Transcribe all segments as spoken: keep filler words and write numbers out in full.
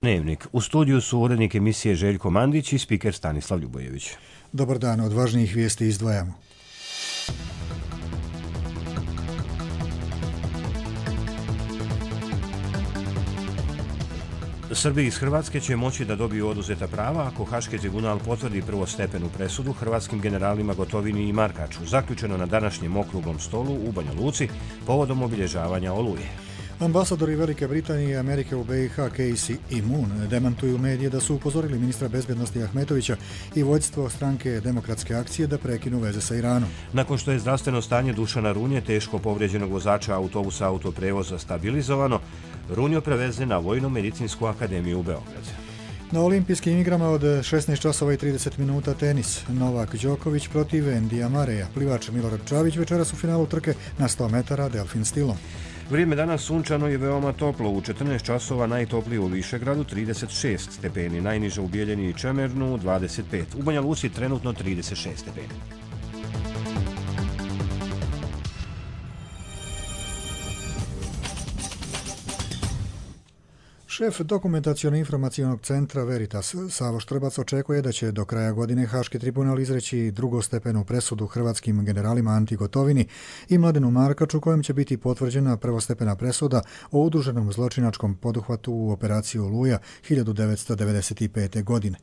Dnevnik. U studiju su urednik emisije Željko Mandić i spiker Stanislav Ljubojević. Dobar dan, od važnijih vijesti izdvajamo. Srbi iz Hrvatske će moći da dobiju oduzeta prava ako Haški tribunal potvrdi prvostepenu presudu hrvatskim generalima Gotovini i Markaču, zaključeno na današnjem okruglom stolu u Banja Luci povodom obilježavanja Oluje. Ambasadori Velike Britanije i Amerike u B i H Casey i Moon demantuju medije da su upozorili ministra bezbjednosti Ahmetovića i vodstvo stranke Demokratske akcije da prekinu veze sa Iranom. Nakon što je zdravstveno stanje Dušana Runje, teško povrijeđenog vozača autobusa autoprevoza, stabilizovano, Runjo prevezen na Vojno-medicinsku akademiju u Beograd. Na olimpijskim igrama od šesnaest časova i trideset minuta tenis. Novak Đoković protiv Endija Mareja. Plivač Milorad Čavić večeras u finalu trke na sto metara delfin stilom. Vrijeme danas sunčano i veoma toplo. U četrnaest časova najtoplije u Višegradu trideset šest stepeni, najniže u Bijeljini i Čemernu dvadeset pet. U Banja Luci trenutno trideset šest stepeni. Šef dokumentaciono-informacionog centra Veritas Savo Štrbac očekuje da će do kraja godine Haški tribunal izreći drugostepenu presudu hrvatskim generalima Anti Gotovini i Mladenu Markaču, kojom će biti potvrđena prvostepena presuda o udruženom zločinačkom poduhvatu u operaciji Oluja hiljadu devetsto devedeset pete. godine.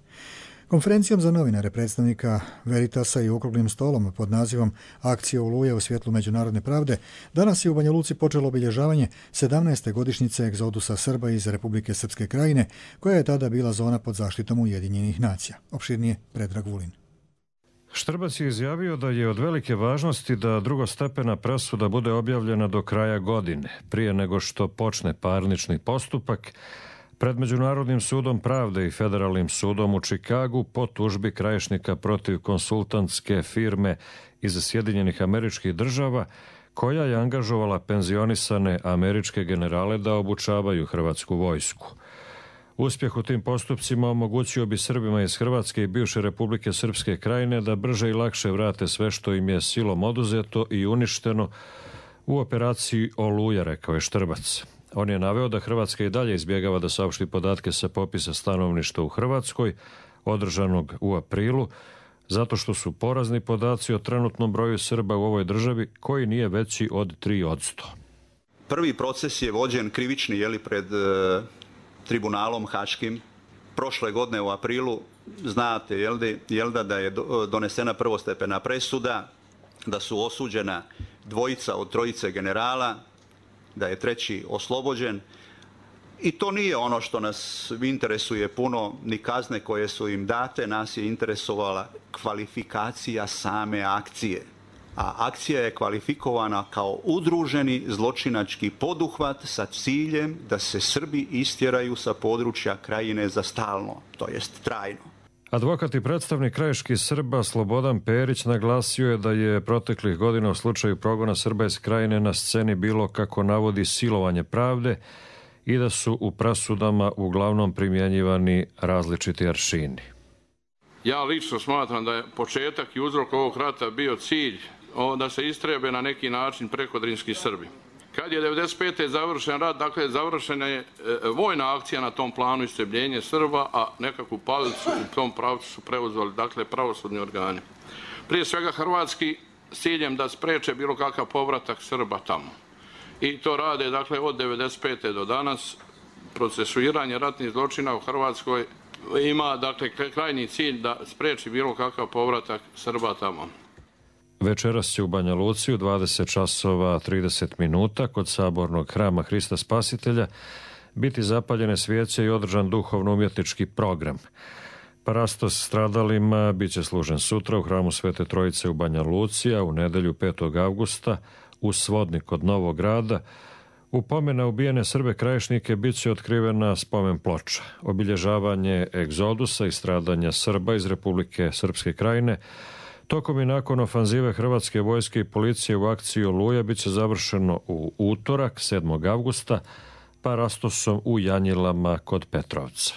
Konferencijom za novinare predstavnika Veritasa i okruglim stolom pod nazivom Akcija Oluja u svjetlu međunarodne pravde, danas je u Banja Luci počelo obilježavanje sedamnaeste godišnjice egzodusa Srba iz Republike Srpske Krajine, koja je tada bila zona pod zaštitom Ujedinjenih nacija. Opširnije Predrag Vulin. Štrbac je izjavio da je od velike važnosti da drugostepena presuda bude objavljena do kraja godine, prije nego što počne parnični postupak pred Međunarodnim sudom pravde i Federalnim sudom u Čikagu po tužbi Krajišnika protiv konsultantske firme iz Sjedinjenih Američkih Država, koja je angažovala penzionisane američke generale da obučavaju hrvatsku vojsku. Uspjeh u tim postupcima omogućio bi Srbima iz Hrvatske i bivše Republike Srpske Krajine da brže i lakše vrate sve što im je silom oduzeto i uništeno u operaciji Oluja, rekao je Štrbac. On je naveo da Hrvatska i dalje izbjegava da saopšti podatke sa popisa stanovništva u Hrvatskoj, održanog u aprilu, zato što su porazni podaci o trenutnom broju Srba u ovoj državi, koji nije veći od tri posto. Prvi proces je vođen krivični jeli, pred e, tribunalom haškim. Prošle godine u aprilu, znate jel, de, jel da, da je donesena prvostepena presuda, da su osuđena dvojica od trojice generala, da je treći oslobođen. I to nije ono što nas interesuje puno, ni kazne koje su im date, nas je interesovala kvalifikacija same akcije. A akcija je kvalifikovana kao udruženi zločinački poduhvat sa ciljem da se Srbi istjeraju sa područja Krajine za stalno, to jest trajno. Advokat i predstavnik krajiških Srba Slobodan Perić naglasio je da je proteklih godina u slučaju progona Srba iz Krajine na sceni bilo, kako navodi, silovanje pravde i da su u presudama uglavnom primjenjivani različiti aršini. Ja lično smatram da je početak i uzrok ovog rata bio cilj da se istrebe na neki način prekodrinski Srbi. Kad je devedeset pete završen rat, dakle završena je vojna akcija na tom planu istrebljenje Srba, a nekakvu palicu u tom pravcu su preuzeli dakle pravosudni organi. Prije svega hrvatski s ciljem da spreče bilo kakav povratak Srba tamo. I to rade dakle od devedeset pete do danas. Procesuiranje ratnih zločina u Hrvatskoj ima dakle krajnji cilj da spreči bilo kakav povratak Srba tamo. Večeras će u Banja Luci u dvadeset časova trideset minuta kod sabornog hrama Hrista Spasitelja biti zapaljene svijeće i održan duhovno-umjetnički program. Parastos stradalima bit će služen sutra u hramu Svete Trojice u Banja Luci, a u nedelju petog avgusta u Svodnik kod Novog Grada u pomen na ubijene Srbe krajišnike bit će otkrivena spomen ploča. Obilježavanje egzodusa i stradanja Srba iz Republike Srpske Krajine tokom i nakon ofanzive Hrvatske vojske i policije u akciji Oluja bit će završeno u utorak, sedmog avgusta, parastosom u Janjilama kod Petrovca.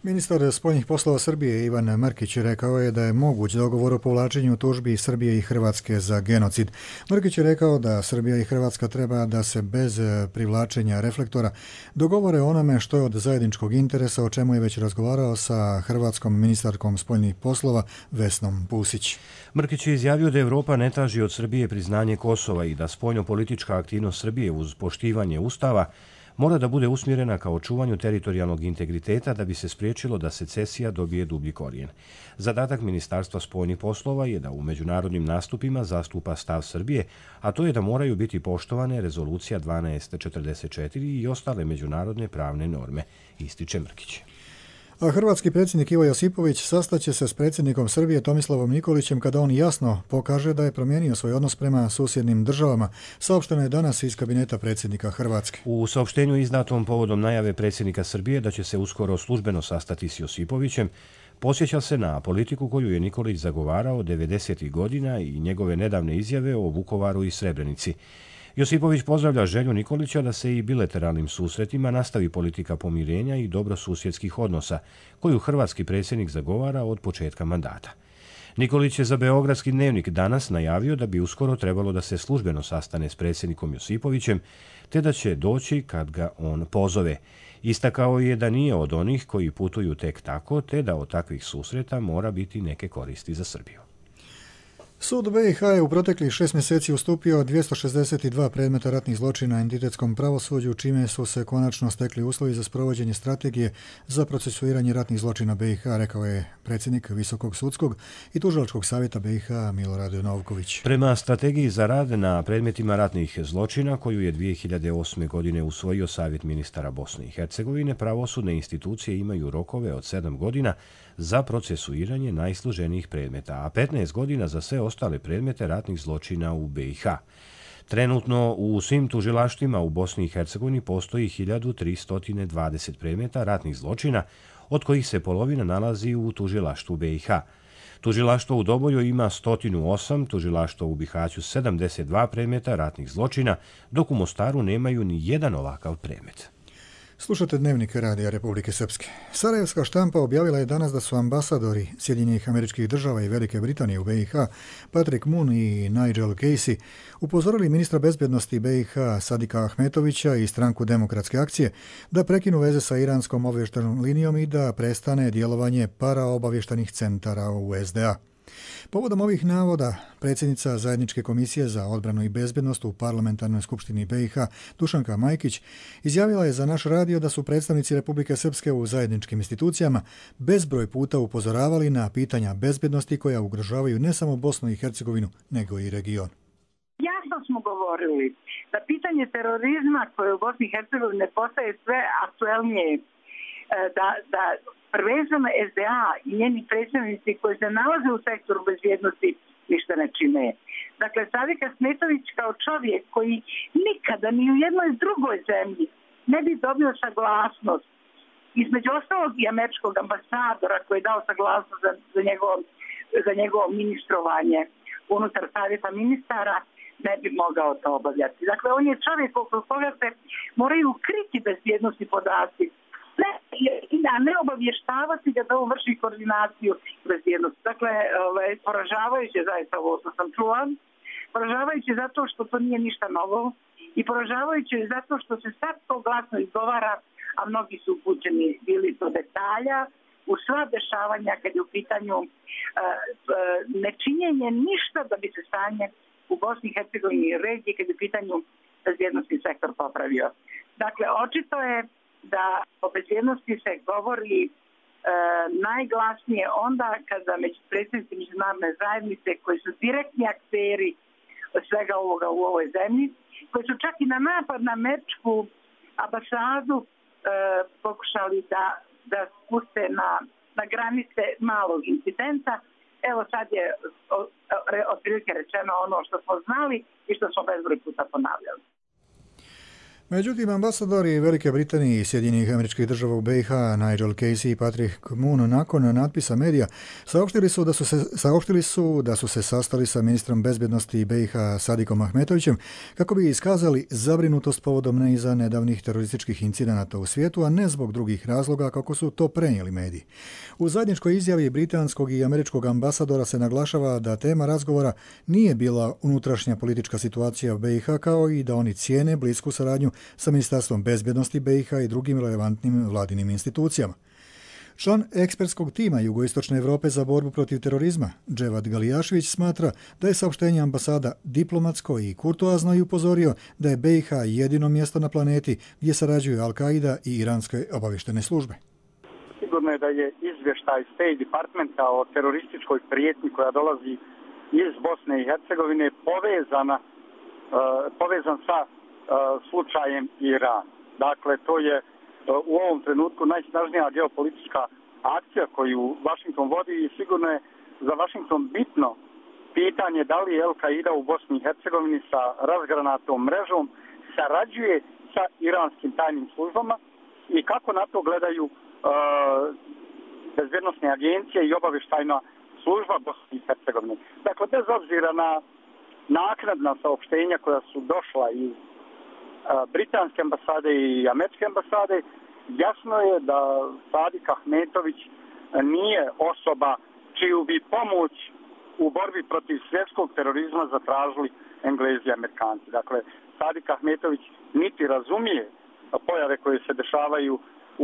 Ministar spoljnih poslova Srbije Ivan Mrkić rekao je da je moguć dogovor o povlačenju tužbi Srbije i Hrvatske za genocid. Mrkić je rekao da Srbija i Hrvatska treba da se bez privlačenja reflektora dogovore onome što je od zajedničkog interesa, o čemu je već razgovarao sa hrvatskom ministarkom spoljnih poslova Vesnom Pusić. Mrkić je izjavio da Evropa ne traži od Srbije priznanje Kosova i da spoljno-politička aktivnost Srbije uz poštivanje Ustava mora da bude usmjerena ka očuvanju teritorijalnog integriteta da bi se spriječilo da secesija dobije dublji korijen. Zadatak Ministarstva spoljnih poslova je da u međunarodnim nastupima zastupa stav Srbije, a to je da moraju biti poštovane rezolucija dvanaest četrdeset četiri i ostale međunarodne pravne norme, ističe Mrkić. A hrvatski predsjednik Ivo Josipović sastaće se s predsjednikom Srbije Tomislavom Nikolićem kada on jasno pokaže da je promijenio svoj odnos prema susjednim državama, saopšteno je danas iz kabineta predsjednika Hrvatske. U saopštenju izdatom povodom najave predsjednika Srbije da će se uskoro službeno sastati s Josipovićem, posjeća se na politiku koju je Nikolić zagovarao devedesetih godina i njegove nedavne izjave o Vukovaru i Srebrenici. Josipović pozdravlja želju Nikolića da se i bilateralnim susretima nastavi politika pomirenja i dobrosusjedskih odnosa, koju hrvatski predsjednik zagovara od početka mandata. Nikolić je za Beogradski dnevnik danas najavio da bi uskoro trebalo da se službeno sastane s predsjednikom Josipovićem, te da će doći kad ga on pozove. Istakao je da nije od onih koji putuju tek tako, te da od takvih susreta mora biti neke koristi za Srbiju. Sud B i H je u proteklih šest mjeseci ustupio dvjesto šezdeset dva predmeta ratnih zločina entitetskom pravosuđu, čime su se konačno stekli uslovi za sprovođenje strategije za procesuiranje ratnih zločina B i H, rekao je predsjednik Visokog sudskog i tužilačkog savjeta B i H Milorad Novković. Prema strategiji za rad na predmetima ratnih zločina, koju je dvije hiljade osme. godine usvojio Savjet ministara Bosne i Hercegovine, pravosudne institucije imaju rokove od sedam godina za procesuiranje najsloženijih predmeta, a petnaest godina za sve ostale predmete ratnih zločina u B i H. Trenutno u svim tužilaštvima u Bosni i Hercegovini postoji hiljadu tristo dvadeset predmeta ratnih zločina, od kojih se polovina nalazi u tužilaštvu B i H. Tužilaštvo u Doboju ima sto osam, tužilaštvo u Bihaću sedamdeset dva predmeta ratnih zločina, dok u Mostaru nemaju ni jedan ovakav predmet. Slušate Dnevnik Radija Republike Srpske. Sarajevska štampa objavila je danas da su ambasadori Sjedinjenih Američkih Država i Velike Britanije u B i H, Patrick Moon i Nigel Casey, upozorili ministra bezbjednosti B i H Sadika Ahmetovića i stranku Demokratske akcije da prekinu veze sa iranskom obavještajnom linijom i da prestane djelovanje paraobavještajnih centara u S D A. Povodom ovih navoda, predsjednica Zajedničke komisije za odbranu i bezbjednost u Parlamentarnoj skupštini B i H, Dušanka Majkić, izjavila je za naš radio da su predstavnici Republike Srpske u zajedničkim institucijama bezbroj puta upozoravali na pitanja bezbjednosti koja ugrožavaju ne samo Bosnu i Hercegovinu, nego i region. Jasno smo govorili da pitanje terorizma koje u Bosni i Hercegovini postaje sve aktuelnije, da, da prvenstveno S D A i njeni predstavnici koji se nalaze u sektoru bezbjednosti ništa ne čine. Dakle, Sadik Ahmetović kao čovjek koji nikada ni u jednoj drugoj zemlji ne bi dobio saglasnost, između ostalog i američkog ambasadora koji je dao saglasnost za, za, njegovo, za njegovo ministrovanje unutar savjeta ministara, ne bi mogao to obavljati. Dakle, on je čovjek oko koga se moraju kriti bezbjednosti podaci, ne, a ne obavještavati ga da on vrši koordinaciju bezbjednosti. Dakle, ovaj, poražavajuće zaista ovo što sam čula, poražavajuće zato što to nije ništa novo i poražavajuće zato što se sad to glasno izgovara, a mnogi su upućeni bili do detalja u sva dešavanja kad je u pitanju uh, uh, nečinjenje ništa da bi se stanje u Bosni i Hercegovini i regiji kad je u pitanju bezbjednosti sektor popravio. Dakle, očito je da o bezbjednosti se govori e, najglasnije onda kada među predsjednici međunarodne zajednice koji su direktni akteri svega ovoga u ovoj zemlji, koji su čak i na napad na američku ambasadu e, pokušali da, da spuste na, na granice malog incidenta. Evo sad je otprilike rečeno ono što smo znali i što smo bezbroj puta ponavljali. Međutim, ambasadori Velike Britanije i Sjedinjenih Američkih Država u B i H, Nigel Casey i Patrick Moon, nakon natpisa medija, saopštili su da su se, saopštili su da su se sastali sa ministrom bezbjednosti B i H Sadikom Ahmetovićem kako bi iskazali zabrinutost povodom niza nedavnih terorističkih incidenata u svijetu, a ne zbog drugih razloga kako su to prenijeli mediji. U zajedničkoj izjavi britanskog i američkog ambasadora se naglašava da tema razgovora nije bila unutrašnja politička situacija u B i H, kao i da oni cijene blisku saradnju sa Ministarstvom bezbjednosti B i H i drugim relevantnim vladinim institucijama. Član ekspertskog tima Jugoistočne Europe za borbu protiv terorizma, Dževad Galijašević, smatra da je saopštenje ambasada diplomatsko i kurtoazno i upozorio da je B i H jedino mjesto na planeti gdje sarađuju Al-Qaida i iranske obavještene službe. Sigurno je da je izvještaj State Departmenta o terorističkoj prijetnji koja dolazi iz Bosne i Hercegovine povezana, uh, povezan sa uh, slučajem Iran. Dakle, to je uh, u ovom trenutku najsnažnija geopolitička akcija koju Washington vodi i sigurno je za Washington bitno pitanje da li Al-Qaida u Bosni i Hercegovini sa razgranatom mrežom sarađuje sa iranskim tajnim službama i kako na to gledaju uh, bezbjednosne agencije i obavještajna služba Bosne i Hercegovine. Dakle, bez obzira na naknadna saopštenja koja su došla iz uh, britanske ambasade i američke ambasade, jasno je da Sadik Ahmetović nije osoba čiju bi pomoć u borbi protiv svjetskog terorizma zatražili Englezi i Amerikanci. Dakle, Sadik Ahmetović niti razumije pojave koje se dešavaju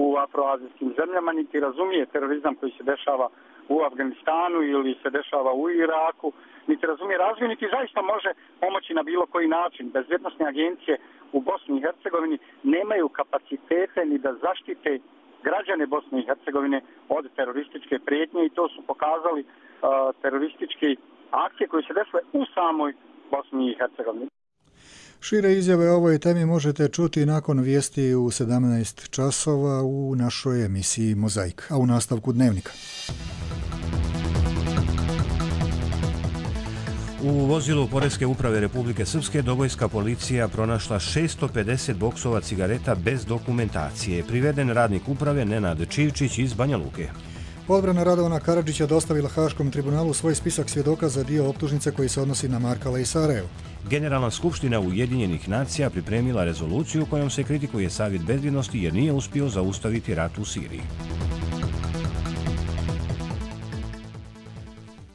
u afroazijskim zemljama, niti razumije terorizam koji se dešava u Afganistanu ili se dešava u Iraku, niti razumije razvoj, niti zaista može pomoći na bilo koji način. Bezbjednosne agencije u Bosni i Hercegovini nemaju kapacitete ni da zaštite građane Bosne i Hercegovine od terorističke prijetnje i to su pokazali uh, terorističke akcije koje se desile u samoj Bosni i Hercegovini. Šire izjave o ovoj temi možete čuti nakon vijesti u sedamnaest časova u našoj emisiji Mozaik, a u nastavku Dnevnika. U vozilu Poreske uprave Republike Srpske dobojska policija pronašla šesto pedeset boksova cigareta bez dokumentacije. Priveden radnik uprave Nenad Čivčić iz Banja Luke. Odbrana Radovana Karadžića dostavila Haškom tribunalu svoj spisak svjedoka za dio optužnice koji se odnosi na Markala i Sarajevo. Generalna skupština Ujedinjenih nacija pripremila rezoluciju kojom se kritikuje Savjet bezbjednosti jer nije uspio zaustaviti rat u Siriji.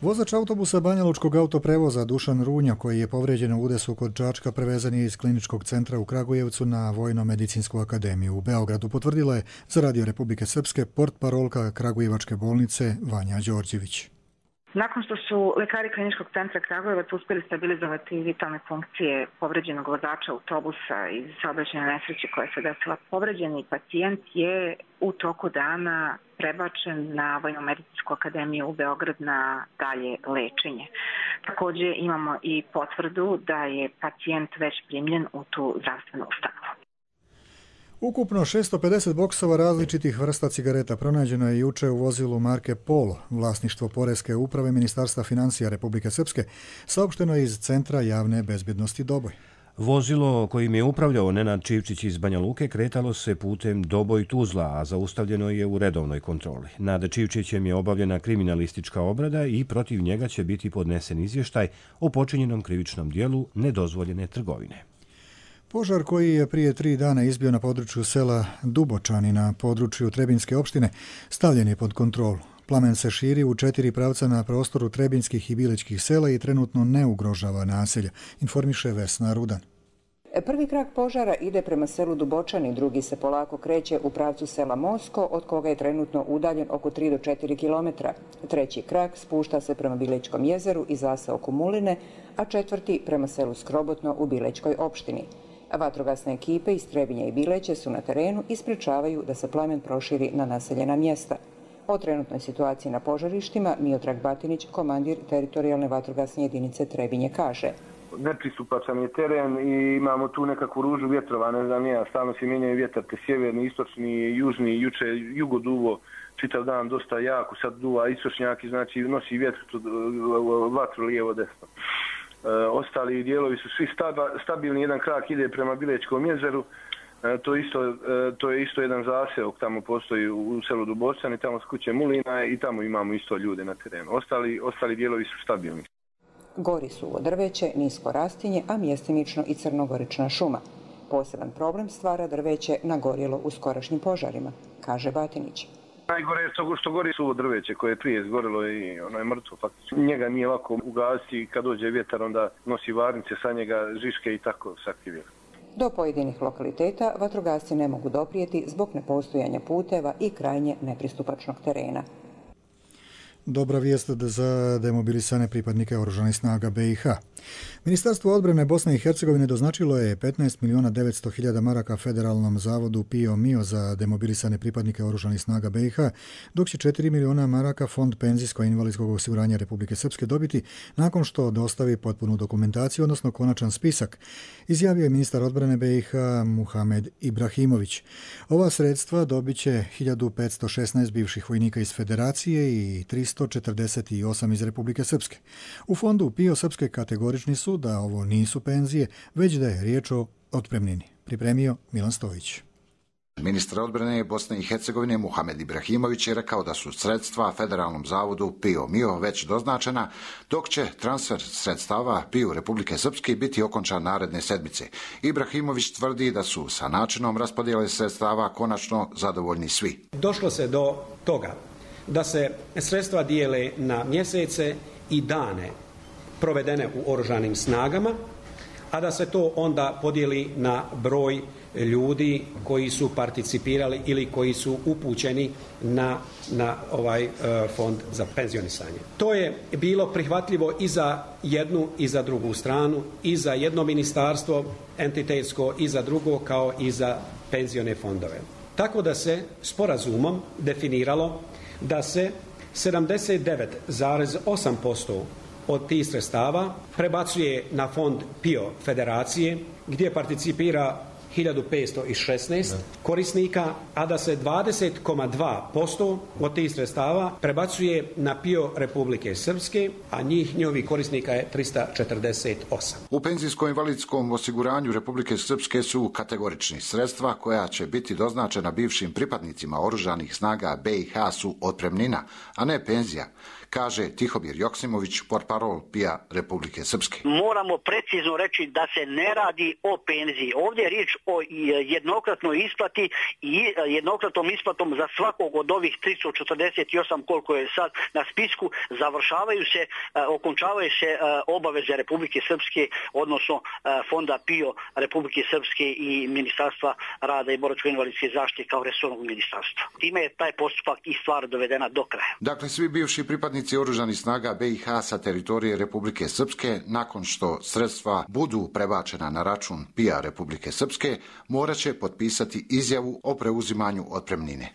Vozač autobusa Banjalučkog autoprevoza Dušan Runja, koji je povrijeđen u udesu kod Čačka, prevezan je iz kliničkog centra u Kragujevcu na Vojno-medicinsku akademiju u Beogradu, potvrdila je za Radio Republike Srpske portparolka Kragujevačke bolnice Vanja Đorđević. Nakon što su lekari kliničkog centra Kragujevac uspjeli stabilizovati vitalne funkcije povređenog vozača autobusa iz saobraćajne nesreće koja se desila, povređeni pacijent je u toku dana prebačen na Vojno-medicinsku akademiju u Beograd na dalje lečenje. Također imamo i potvrdu da je pacijent već primljen u tu zdravstvenu ustanovu. Ukupno šesto pedeset boksova različitih vrsta cigareta pronađeno je juče u vozilu marke Polo, vlasništvo Poreske uprave Ministarstva financija Republike Srpske, saopšteno iz Centra javne bezbjednosti Doboj. Vozilo kojim je upravljao Nenad Čivčić iz Banja Luke kretalo se putem Doboj-Tuzla, a zaustavljeno je u redovnoj kontroli. Nad Čivčićem je obavljena kriminalistička obrada i protiv njega će biti podnesen izvještaj o počinjenom krivičnom dijelu nedozvoljene trgovine. Požar koji je prije tri dana izbio na području sela Dubočani na području Trebinjske opštine stavljen je pod kontrolu. Plamen se širi u četiri pravca na prostoru Trebinjskih i Bilečkih sela i trenutno ne ugrožava naselja, informiše Vesna Rudan. Prvi krak požara ide prema selu Dubočani, drugi se polako kreće u pravcu sela Mosko, od koga je trenutno udaljen oko tri do četiri kilometra. Treći krak spušta se prema Bilečkom jezeru i zaseoku Muline, a četvrti prema selu Skrobotno u Bilečkoj opštini. Vatrogasne ekipe iz Trebinja i Bileće su na terenu i sprečavaju da se plamen proširi na naseljena mjesta. O trenutnoj situaciji na požarištima Miodrag Batinić, komandir teritorijalne vatrogasne jedinice Trebinje, kaže. Nepristupačan je teren i imamo tu nekakvu ružu vjetrova, ne znam ja, stalno se mijenjaju vjetar, te sjeverni, istočni, južni, juče jugo duvo, čitav dan dosta jako, sad duva istočnjaki, znači nosi vjetru, vatru lijevo desno. E, ostali dijelovi su svi stabilni, jedan krak ide prema Bilečkom jezeru, To, isto, to je isto jedan zaseok, tamo postoji u selu Dubočani, tamo s kuće Mulina i tamo imamo isto ljude na terenu. Ostali, ostali dijelovi su stabilni. Gori suvo drveće, nisko rastinje, a mjestimično i crnogorična šuma. Poseban problem stvara drveće nagorjelo u skorašnjim požarima, kaže Batinić. Najgore je to što gori suvo drveće koje je prije izgorilo i ono je mrtvo faktično. Njega nije lako ugasiti, kad dođe vjetar onda nosi varnice sa njega, žiške i tako se aktivira. Do pojedinih lokaliteta vatrogasci ne mogu doprijeti zbog nepostojanja puteva i krajnje nepristupačnog terena. Dobra vijest za demobilisane pripadnike oružanih snaga B i H. Ministarstvo odbrane Bosne i Hercegovine doznačilo je petnaest milijuna devetsto hiljada maraka Federalnom zavodu PIO MIO za demobilisane pripadnike oružanih snaga B i H, dok će četiri milijuna maraka Fond penzijsko-invalidskog osiguranja Republike Srpske dobiti nakon što dostavi potpunu dokumentaciju, odnosno konačan spisak, izjavio je ministar odbrane B i H Muhamed Ibrahimović. Ova sredstva dobit će hiljadu petsto šesnaest bivših vojnika iz Federacije i tristo četrdeset osam iz Republike Srpske. U fondu PIO Srpske kategorični su da ovo nisu penzije, već da je riječ o otpremnini. Pripremio Milan Stojić. Ministar odbrane Bosne i Hercegovine Muhamed Ibrahimović je rekao da su sredstva Federalnom zavodu PIO MIO već doznačena, dok će transfer sredstava PIO Republike Srpske biti okončan naredne sedmice. Ibrahimović tvrdi da su sa načinom raspodjele sredstava konačno zadovoljni svi. Došlo se do toga da se sredstva dijele na mjesece i dane provedene u oružanim snagama, a da se to onda podijeli na broj ljudi koji su participirali ili koji su upućeni na, na ovaj uh, fond za penzionisanje. To je bilo prihvatljivo i za jednu i za drugu stranu, i za jedno ministarstvo entitetsko i za drugo, kao i za penzione fondove. Tako da se sporazumom definiralo da se sedamdeset devet zarez osam posto od tih sredstava prebacuje na fond PIO Federacije, gdje participira hiljadu petsto šesnaest korisnika, a da se dvadeset zarez dva posto od tih sredstava prebacuje na PIO Republike Srpske, a njih njihovih korisnika je tristo četrdeset osam. U penzijsko-invalidskom osiguranju Republike Srpske su kategorični sredstva koja će biti doznačena bivšim pripadnicima oružanih snaga B i H su otpremnina, a ne penzija, kaže Tihomir Joksimović, portparol PIO Republike Srpske. Moramo precizno reći da se ne radi o penziji. Ovdje je riječ o jednokratnoj isplati i jednokratnom isplatom za svakog od ovih tristo četrdeset osam koliko je sad na spisku. Završavaju se, okončavaju se obaveze Republike Srpske, odnosno fonda PIO Republike Srpske i Ministarstva rada i boračko-invalidske zaštite kao resornog ministarstva. Time je taj postupak i stvar dovedena do kraja. Dakle, svi bivši pripadnici oružanih snaga B i H sa teritorije Republike Srpske, nakon što sredstva budu prebačena na račun PIO Republike Srpske, morat će potpisati izjavu o preuzimanju otpremnine.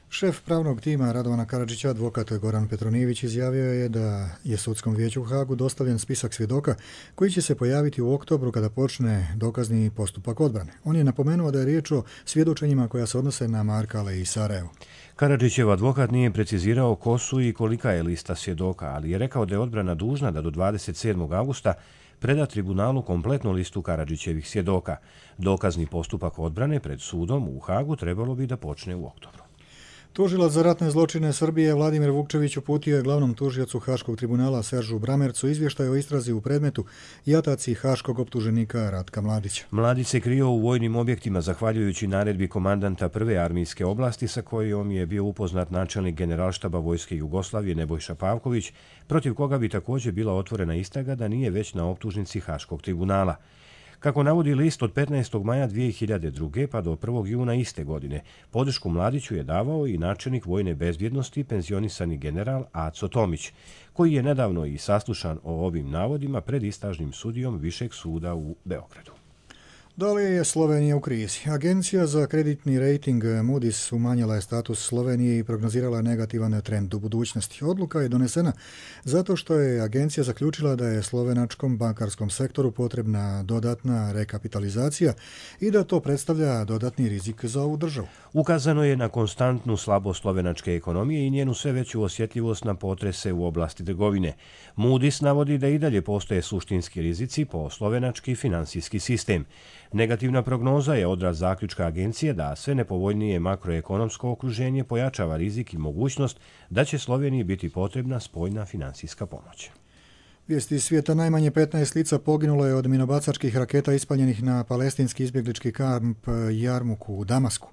Šef pravnog tima Radovana Karadžića, advokat Goran Petronijević, izjavio je da je Sudskom vijeću u Hagu dostavljen spisak svjedoka koji će se pojaviti u oktobru kada počne dokazni postupak odbrane. On je napomenuo da je riječ o svjedočenjima koja se odnose na Markale i Sarajevo. Karadžićev advokat nije precizirao ko su i kolika je lista svjedoka, ali je rekao da je odbrana dužna da do dvadeset sedmog augusta preda tribunalu kompletnu listu Karadžićevih svjedoka. Dokazni postupak odbrane pred sudom u Hagu trebalo bi da počne u oktobru. Tužilac za ratne zločine Srbije Vladimir Vukčević uputio je glavnom tužiocu Haškog tribunala Seržu Bramercu izvještaj o istrazi u predmetu jataci haškog optuženika Ratka Mladića. Mladić se krio u vojnim objektima zahvaljujući naredbi komandanta prve armijske oblasti sa kojom je bio upoznat načelnik generalštaba Vojske Jugoslavije Nebojša Pavković, protiv koga bi također bila otvorena istraga da nije već na optužnici Haškog tribunala. Kako navodi list, od petnaestog maja dvije hiljade druge. pa do prvog juna iste godine podršku Mladiću je davao i načelnik vojne bezbjednosti penzionisani general Aco Tomić, koji je nedavno i saslušan o ovim navodima pred istražnim sudijom Višeg suda u Beogradu. Dalje je Slovenija u krizi. Agencija za kreditni rating Moody's umanjila je status Slovenije i prognozirala negativan trend u budućnosti. Odluka je donesena zato što je agencija zaključila da je slovenačkom bankarskom sektoru potrebna dodatna rekapitalizacija i da to predstavlja dodatni rizik za ovu državu. Ukazano je na konstantnu slabost slovenačke ekonomije i njenu sve veću osjetljivost na potrese u oblasti trgovine. Moody's navodi da i dalje postoje suštinski rizici po slovenački finansijski sistem. Negativna prognoza je odraz zaključka agencije da sve nepovoljnije makroekonomsko okruženje pojačava rizik i mogućnost da će Sloveniji biti potrebna spoljna finansijska pomoć. Vijesti iz svijeta: najmanje petnaest lica poginulo je od minobacačkih raketa ispaljenih na palestinski izbjeglički kamp Jarmuk u Damasku.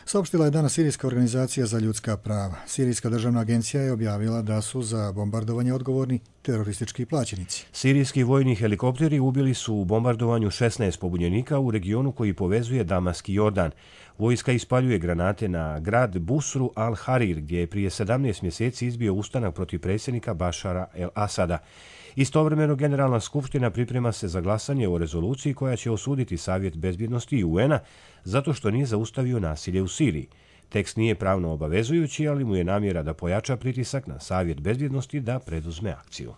Saopštila je danas Sirijska organizacija za ljudska prava. Sirijska državna agencija je objavila da su za bombardovanje odgovorni teroristički plaćenici. Sirijski vojni helikopteri ubili su u bombardovanju šesnaest pobunjenika u regionu koji povezuje Damask i Jordan. Vojska ispaljuje granate na grad Busru al-Harir, gdje je prije sedamnaest mjeseci izbio ustanak protiv predsjednika Bašara el-Asada. Istovremeno, Generalna skupština priprema se za glasanje o rezoluciji koja će osuditi Savjet bezbjednosti i U N-a zato što nije zaustavio nasilje u Siriji. Tekst nije pravno obavezujući, ali mu je namjera da pojača pritisak na Savjet bezbjednosti da preduzme akciju.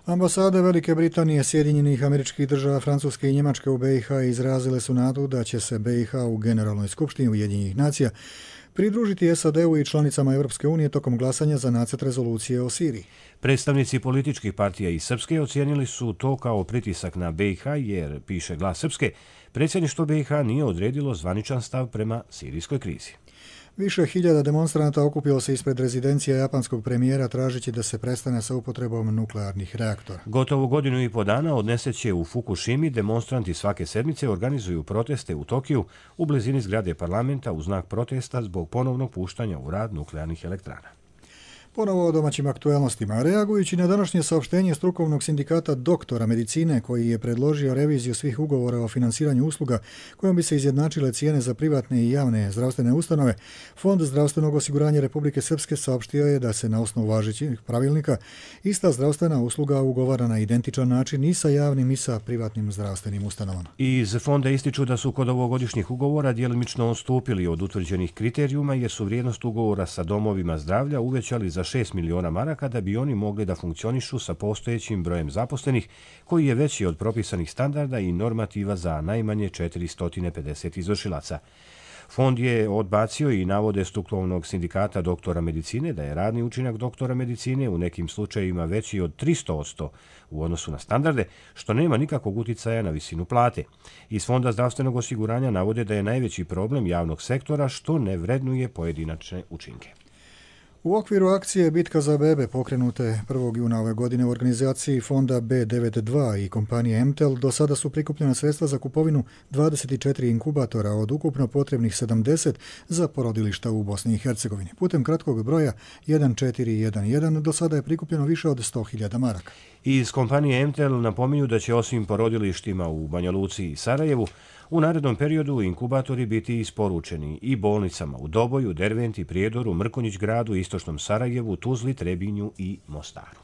Ambasade Velike Britanije, Sjedinjenih Američkih Država, Francuske i Njemačke u B i H izrazile su nadu da će se B i H u Generalnoj skupštini Ujedinjenih nacija pridružiti S A D-u i članicama Europske unije tokom glasanja za nacrt rezolucije o Siriji. Predstavnici političkih partija iz Srpske ocijenili su to kao pritisak na B i H jer, piše Glas Srpske, predsjedništvo B i H nije odredilo zvaničan stav prema sirijskoj krizi. Više hiljada demonstranata okupilo se ispred rezidencije japanskog premijera tražeći da se prestane sa upotrebom nuklearnih reaktora. Gotovo godinu i po dana od nesreće u Fukushimi demonstranti svake sedmice organizuju proteste u Tokiju u blizini zgrade parlamenta u znak protesta zbog ponovnog puštanja u rad nuklearnih elektrana. Ponovo o domaćim aktuelnostima. Reagujući na današnje saopštenje strukovnog sindikata doktora medicine koji je predložio reviziju svih ugovora o finansiranju usluga kojom bi se izjednačile cijene za privatne i javne zdravstvene ustanove, Fond zdravstvenog osiguranja Republike Srpske saopštio je da se na osnovu važećih pravilnika ista zdravstvena usluga ugovara na identičan način i sa javnim i sa privatnim zdravstvenim ustanovama. Iz fonda ističu da su kod ovogodišnjih ugovora djelimično odstupili od utvrđenih kriterijuma jer su vrijednost ugovora sa domovima zdravlja uvećali za šest miliona maraka da bi oni mogli da funkcionišu sa postojećim brojem zaposlenih koji je veći od propisanih standarda i normativa za najmanje četiristo pedeset izvršilaca. Fond je odbacio i navode strukovnog sindikata doktora medicine da je radni učinak doktora medicine u nekim slučajevima veći od tristo posto u odnosu na standarde, što nema nikakvog uticaja na visinu plate. Iz Fonda zdravstvenog osiguranja navode da je najveći problem javnog sektora što ne vrednuje pojedinačne učinke. U okviru akcije Bitka za bebe pokrenute prvog juna ove godine u organizaciji fonda B devedeset dva i kompanije Emtel do sada su prikupljena sredstva za kupovinu dvadeset četiri inkubatora od ukupno potrebnih sedamdeset za porodilišta u Bosni i Hercegovini. Putem kratkog broja jedan četiri jedan jedan do sada je prikupljeno više od sto hiljada maraka. Iz kompanije Emtel napominju da će osim porodilištima u Banja Luci i Sarajevu u narednom periodu inkubatori biti isporučeni i bolnicama u Doboju, Derventi, Prijedoru, Mrkonjić gradu, Istočnom Sarajevu, Tuzli, Trebinju i Mostaru.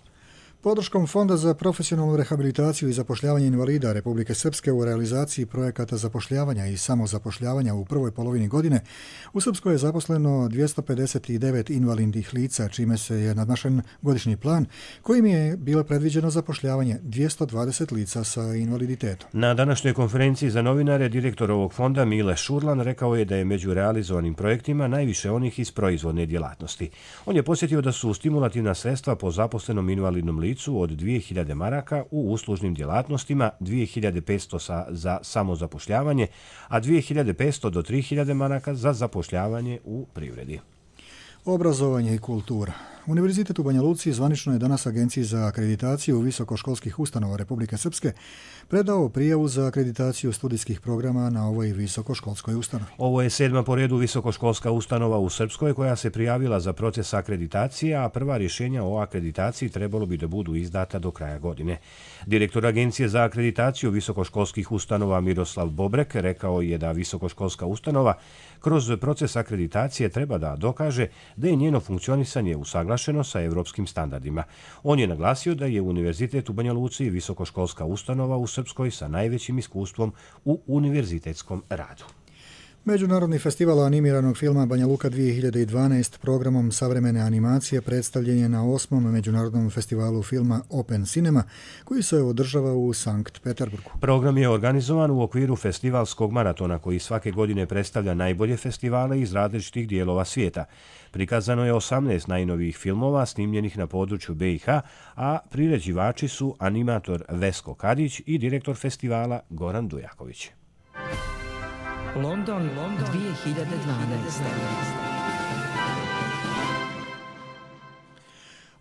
Podrškom Fonda za profesionalnu rehabilitaciju i zapošljavanje invalida Republike Srpske u realizaciji projekata zapošljavanja i samozapošljavanja u prvoj polovini godine, u Srpskoj je zaposleno dvjesto pedeset devet invalidnih lica, čime se je nadmašen godišnji plan kojim je bilo predviđeno zapošljavanje dvjesto dvadeset lica sa invaliditetom. Na današnjoj konferenciji za novinare direktor ovog fonda Mile Šurlan rekao je da je među realizovanim projektima najviše onih iz proizvodne djelatnosti. On je posjetio da su stimulativna sredstva po zaposlenom invalidnom licu od dvije hiljade maraka u uslužnim djelatnostima, dvije hiljade petsto za samozapošljavanje, a dvije hiljade petsto do tri hiljade maraka za zapošljavanje u privredi. Obrazovanje i kultura. Univerzitet u Banja Luci zvanično je danas Agenciji za akreditaciju visokoškolskih ustanova Republike Srpske predao prijavu za akreditaciju studijskih programa na ovoj visokoškolskoj ustanovi. Ovo je sedma po redu visokoškolska ustanova u Srpskoj koja se prijavila za proces akreditacije, a prva rješenja o akreditaciji trebalo bi da budu izdata do kraja godine. Direktor Agencije za akreditaciju visokoškolskih ustanova Miroslav Bobrek rekao je da visokoškolska ustanova kroz proces akreditacije treba da dokaže da je njeno funkcionisanje usaglašeno usaglašeno sa evropskim standardima. On je naglasio da je Univerzitet u Banja Luci visokoškolska ustanova u Srpskoj sa najvećim iskustvom u univerzitetskom radu. Međunarodni festival animiranog filma Banja Luka dvije hiljade dvanaest programom savremene animacije predstavljen je na osmom Međunarodnom festivalu filma Open Cinema, koji se održava u Sankt Peterburgu. Program je organizovan u okviru festivalskog maratona koji svake godine predstavlja najbolje festivale iz različitih dijelova svijeta. Prikazano je osamnaest najnovijih filmova snimljenih na području B i H, a priređivači su animator Vesko Kadić i direktor festivala Goran Dujaković. London, London dvije hiljade dvanaest.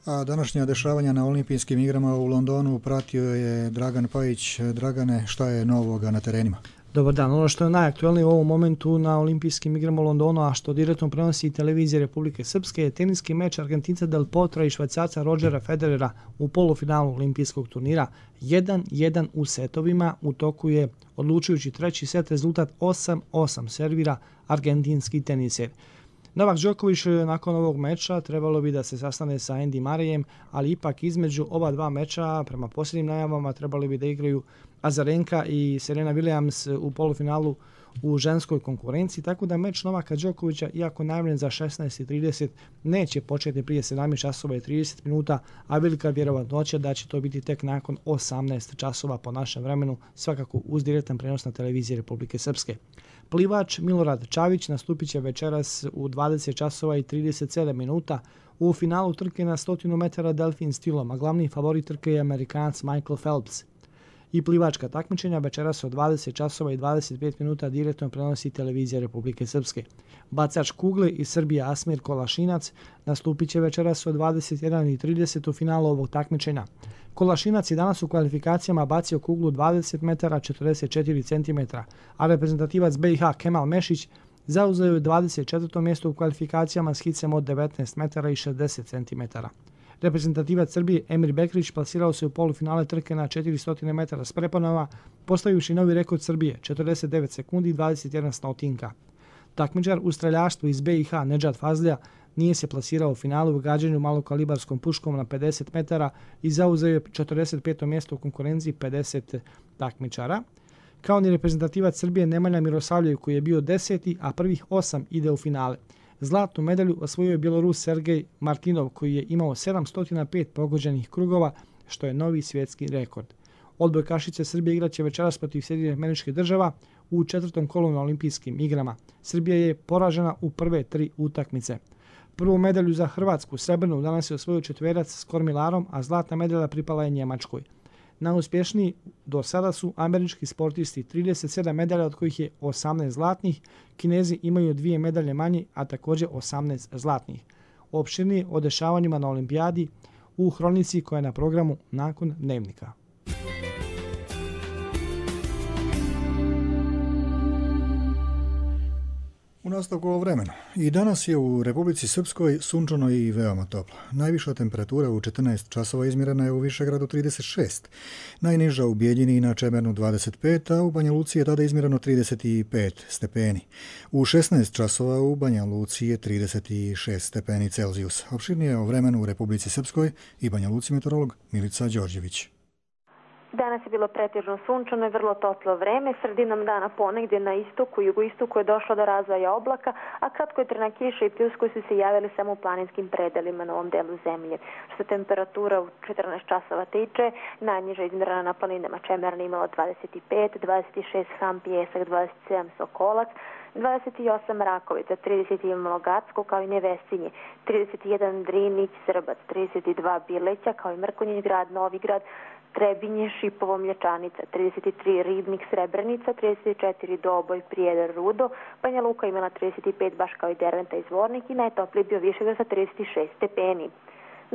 A današnja dešavanja na olimpijskim igrama u Londonu pratio je Dragan Pajić. Dragane, šta je novoga na terenima? Dobar dan. Ono što je najaktuelnije u ovom momentu na olimpijskim igrama u Londonu, a što direktno prenosi televizija Republike Srpske, je teniski meč Argentinca Del Potra i Švajcarca Rodgera Federera u polufinalu olimpijskog turnira. jedan jedan u setovima. U toku je odlučujući treći set, rezultat osam osam servira argentinski teniser. Novak Đoković nakon ovog meča trebalo bi da se sastane sa Andy Murrayem, ali ipak između ova dva meča, prema posljednjim najavama, trebali bi da igraju Azarenka i Serena Williams u polufinalu u ženskoj konkurenciji, tako da meč Novaka Đokovića, iako najavljen za šesnaest i trideset, neće početi prije sedamnaest časova i trideset minuta, a velika vjerovatnoća da će to biti tek nakon osamnaest časova po našem vremenu, svakako uz direktan prenos na televiziji Republike Srpske. Plivač Milorad Čavić nastupit će večeras u dvadeset časova i trideset sedam minuta u finalu trke na stotinu metara delfin stilom, a glavni favorit trke je Amerikanac Michael Phelps. I plivačka takmičenja večeras od dvadeset časova i dvadeset pet minuta direktno prenosi televizija Republike Srpske. Bacač kugle iz Srbije Asmir Kolašinac nastupit će večeras od dvadeset jedan i trideset u finalu ovog takmičenja. Kolašinac je danas u kvalifikacijama bacio kuglu dvadeset metara četrdeset četiri centimetra, a reprezentativac B i H Kemal Mešić zauzeo je dvadeset četvrto mjesto u kvalifikacijama s hicem od devetnaest metara i šezdeset centimetara. Reprezentativac Srbije Emir Bekrić plasirao se u polufinale trke na četiristo metara s preponama, postavivši novi rekord Srbije, četrdeset devet sekundi i dvadeset jedna stotinka. Takmičar u streljaštvu iz B i H Nedžad Fazlija nije se plasirao u finalu u gađanju malokalibarskom puškom na pedeset metara i zauzeo je četrdeset peto mjesto u konkurenciji pedeset takmičara. Kao ni reprezentativac Srbije Nemanja Mirosavljev koji je bio deseti, a prvih osam ide u finale. Zlatnu medalju osvojio je Bjelorus Sergej Martinov koji je imao sedamsto pet pogođenih krugova, što je novi svjetski rekord. Odbojkašice Srbije igraće večeras protiv Sjedinjenih Američkih Država u četvrtom kolu na olimpijskim igrama. Srbija je poražena u prve tri utakmice. Prvu medalju za Hrvatsku, srebrnu, danas je osvojio četverac s kormilarom, a zlatna medalja pripala je Njemačkoj. Najuspješniji do sada su američki sportisti, trideset sedam medalja od kojih je osamnaest zlatnih, Kinezi imaju dvije medalje manje, a također osamnaest zlatnih. Opširnije o dešavanjima na olimpijadi u hronici koja je na programu nakon dnevnika. U nastavku o vremenu. I danas je u Republici Srpskoj sunčano i veoma toplo. Najviša temperatura u četrnaest časova izmjerena je u Višegradu trideset šest, najniža u Bijeljini i na Čemernu dvadeset pet, a u Banja Luci je tada izmjereno trideset pet stepeni. U šesnaest časova u Banja Luci je trideset šest stepeni Celzijusa. Opširnije o vremenu u Republici Srpskoj i Banja Luci meteorolog Milica Đorđević. Danas je bilo pretežno sunčano i vrlo toplo vreme. Sredinom dana ponegdje na istoku i jugoistoku je došlo do razvoja oblaka, a kratko je trna kiša i pljuskovi su se javili samo u planinskim predelima na ovom delu zemlje. Što se temperatura u četrnaest časova tiče, najniža izmjerena na planinama Čemerna imala dvadeset pet, dvadeset šest Ham Pijesak, dvadeset sedam Sokolac, dvadeset osam Rakovica, trideset imalo Gacko kao i Nevesinje, trideset jedan Drinić, Srbac, trideset dva Bileća kao i Mrkonjić grad, Novigrad, Trebinje, Šipovo, Mlječanica, trideset tri Ribnik, Srebrenica, trideset četiri Doboj, Prijedor, Rudo, Banja Luka imala trideset pet baš kao i Derventa i Zvornik i najtopliji bio Višegrad sa trideset šest stepeni.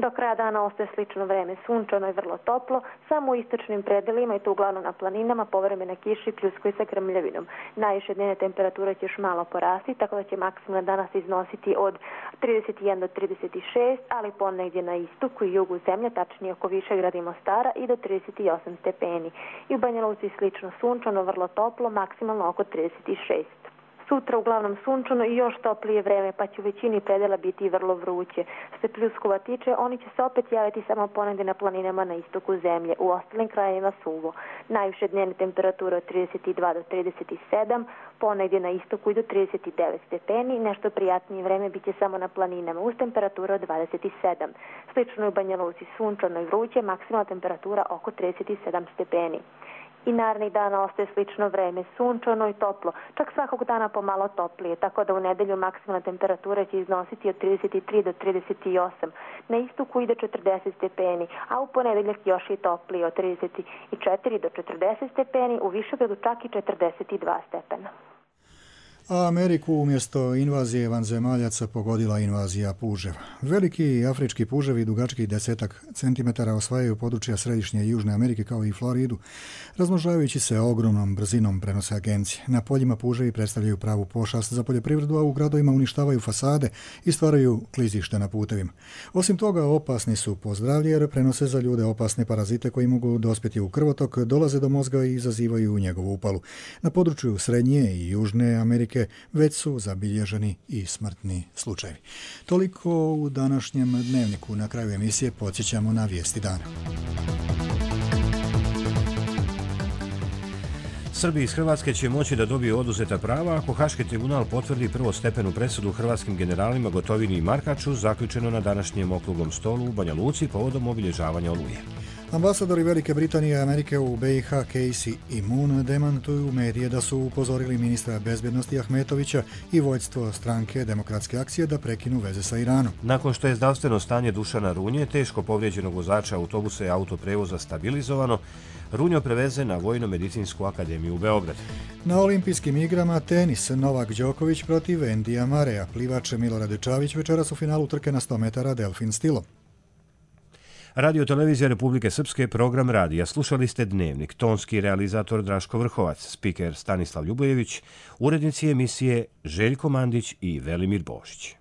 Do kraja dana ostaje slično vreme, sunčano i vrlo toplo, samo u istočnim predelima i to uglavnom na planinama povremena kiša i pljuskovi sa grmljavinom. Najviše dnevne temperature će još malo porasti, tako da će maksimalno danas iznositi od trideset jedan do trideset šest, ali ponegdje na istoku i jugu zemlje, tačnije oko Višegrada i Mostara, i do trideset osam stepeni. I u Banja Luci slično sunčano, vrlo toplo, maksimalno oko trideset šest. Sutra uglavnom sunčano i još toplije vreme, pa će u većini predela biti vrlo vruće. Što se pljuskova tiče, oni će se opet javiti samo ponegdje na planinama na istoku zemlje, u ostalim krajevima suvo. Najviše dnevne temperature od trideset dva do trideset sedam, ponegdje na istoku i do trideset devet stepeni, nešto prijatnije vreme bit će samo na planinama uz temperature od dvadeset sedam. Slično u Banja Luci sunčano i vruće, maksimalna temperatura oko trideset sedam stepeni. I narednih dana ostaje slično vreme, sunčano i toplo, čak svakog dana pomalo toplije, tako da u nedelju maksimalna temperatura će iznositi od trideset tri do trideset osam. Na istoku ide četrdeset stepeni, a u ponedeljak još i toplije od trideset četiri do četrdeset stepeni, u Višegradu čak i četrdeset dva stepena. A Ameriku umjesto invazije vanzemaljaca pogodila invazija puževa. Veliki afrički puževi dugački desetak centimetara osvajaju područja središnje i južne Amerike kao i Floridu, razmnožavajući se ogromnom brzinom, prenose agencije. Na poljima puževi predstavljaju pravu pošast za poljoprivredu, a u gradovima uništavaju fasade i stvaraju klizište na putevima. Osim toga, opasni su po zdravlje jer prenose za ljude opasne parazite koji mogu dospjeti u krvotok, dolaze do mozga i izazivaju njegovu upalu. Na području srednje i južne Amerike već su zabilježeni i smrtni slučajevi. Toliko u današnjem dnevniku. Na kraju emisije podsjećamo na vijesti dana. Srbi iz Hrvatske će moći da dobiju oduzeta prava ako Haški tribunal potvrdi prvostepenu presudu hrvatskim generalima Gotovini i Markaču, zaključeno na današnjem okruglom stolu u Banja Luci povodom obilježavanja Oluje. Ambasadori Velike Britanije i Amerike u B i H Casey i Moon demantuju medije da su upozorili ministra bezbjednosti Ahmetovića i vođstvo stranke Demokratske akcije da prekinu veze sa Iranom. Nakon što je zdravstveno stanje Dušana Runje, teško povrijeđenog vozača autobusa i autoprevoza stabilizovano, Runjo preveze na Vojno-medicinsku akademiju u Beograd. Na olimpijskim igrama tenis Novak Đoković protiv Endija Mareja. Plivač Milorad Čavić večeras u finalu trke na sto metara delfin stilom. Radio Televizija Republike Srpske, program radija. Slušali ste Dnevnik. Tonski realizator Draško Vrhovac, spiker Stanislav Ljubojević, urednici emisije Željko Mandić i Velimir Bošić.